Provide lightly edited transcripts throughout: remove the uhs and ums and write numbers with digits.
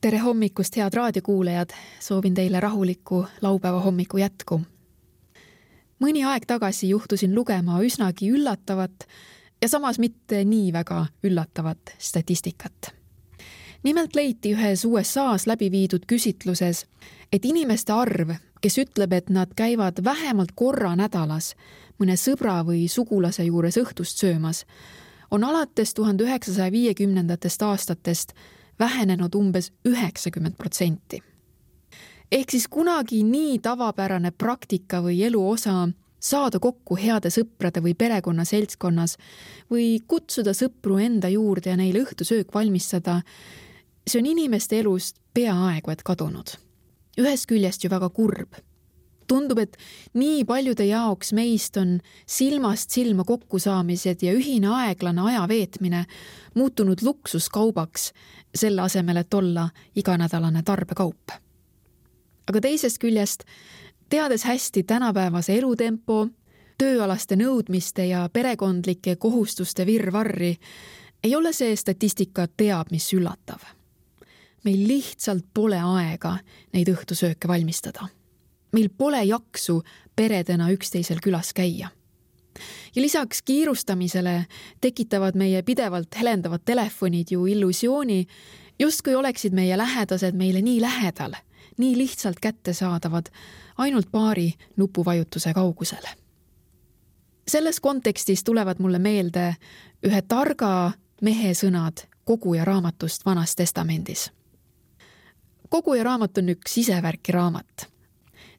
Tere hommikust, head raadiokuulajad! Soovin teile rahulikku laupäeva hommiku jätku. Mõni aeg tagasi juhtusin lugema üsnagi üllatavat ja samas mitte nii väga üllatavat statistikat. Nimelt leiti ühes USA's läbi viidud küsitluses, et inimeste arv, kes ütleb, et nad käivad vähemalt korra nädalas mõne sõbra või sugulase juures õhtust söömas, on alates 1950. aastatest vähenenud umbes 90%. Ehk siis kunagi nii tavapärane praktika või elu osa saada kokku heade sõprade või perekonna seltskonnas või kutsuda sõpru enda juurde ja neile õhtusöök valmistada, see on inimeste elust peaaegu et kadunud. Ühest küljest ju väga kurb. Tundub, et nii paljude jaoks meist on silmast silma kokkusaamised ja ühine aeglane aja veetmine muutunud luksuskaubaks, selle asemel, et olla iganädalane tarbekaup. Aga teisest küljest, teades hästi tänapäevase elutempo, tööalaste nõudmiste ja perekondlike kohustuste virvarri, ei ole see statistika teab mis üllatav. Meil lihtsalt pole aega neid õhtusööke valmistada. Meil pole jaksu peredena üksteisel külas käia. Ja lisaks kiirustamisele tekitavad meie pidevalt helendavad telefonid ju illusiooni, justkui oleksid meie lähedased meile nii lähedal, nii lihtsalt kättesaadavad, ainult paari nupuvajutuse kaugusel. Selles kontekstis tulevad mulle meelde ühe targa mehe sõnad Koguja raamatust Vanas Testamendis. Koguja raamat on üks isevärki raamat.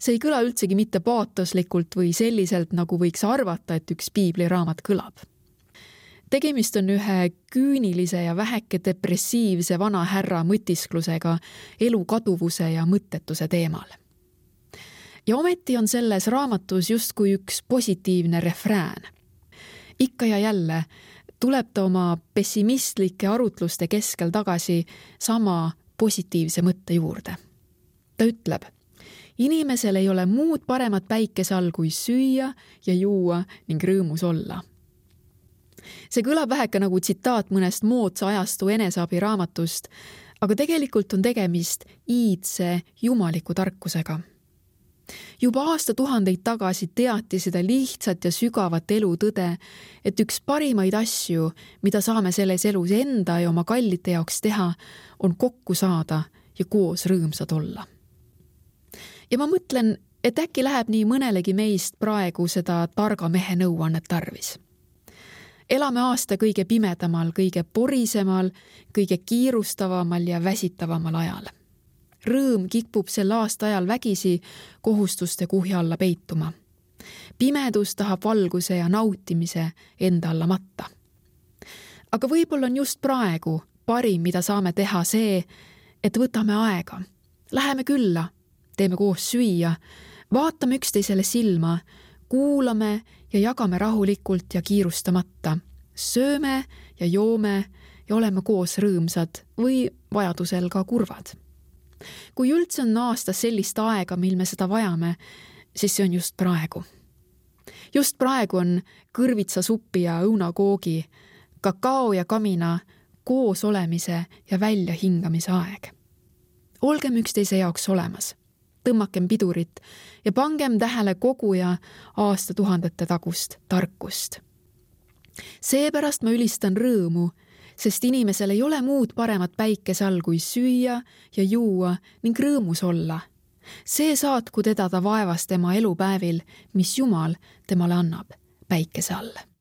See ei kõla üldsegi mitte paatoslikult või selliselt, nagu võiks arvata, et üks piibliraamat kõlab. Tegemist on ühe küünilise ja väheke depressiivse vana härra mõtisklusega elu kaduvuse ja mõttetuse teemal. Ja ometi on selles raamatus justkui üks positiivne refrään. Ikka ja jälle tuleb ta oma pessimistlike arutluste keskel tagasi sama positiivse mõtte juurde. Ta ütleb, inimesel ei ole muud paremat päikese all kui süüa ja juua ning rõõmus olla. See kõlab väheke nagu tsitaat mõnest moodsa ajastu eneseabi raamatust, aga tegelikult on tegemist iidse jumaliku tarkusega. Juba aastatuhandeid tagasi teati seda lihtsat ja sügavat elu tõde, et üks parimaid asju, mida saame selles elus enda ja oma kallite jaoks teha, on kokku saada ja koos rõõmsad olla. Ja ma mõtlen, et äkki läheb nii mõnelegi meist praegu seda targa mehe nõuannet tarvis. Elame aasta kõige pimedamal, kõige porisemal, kõige kiirustavamal ja väsitavamal ajal. Rõõm kipub sel aasta ajal vägisi kohustuste kuhja alla peituma. Pimedus tahab valguse ja nautimise enda alla matta. Aga võib-olla on just praegu parim, mida saame teha see, et võtame aega, läheme külla, teeme koos süüa, vaatame üksteisele silma, kuulame ja jagame rahulikult ja kiirustamata, sööme ja joome ja oleme koos rõõmsad või vajadusel ka kurvad. Kui üldse on aastas sellist aega, mil me seda vajame, siis see on just praegu. Just praegu on kõrvitsa suppi ja õunakoogi, kakao ja kamina, koos olemise ja välja hingamise aeg. Olgem üksteise jaoks olemas. Tõmmakem pidurit ja pangem tähele Koguja aastatuhandete tagust tarkust. Seepärast ma ülistan rõõmu, sest inimesel ei ole muud paremat päikese all kui süüa ja juua ning rõõmus olla. See saatku teda ta vaevas tema elupäevil, mis Jumal temale annab päikese all.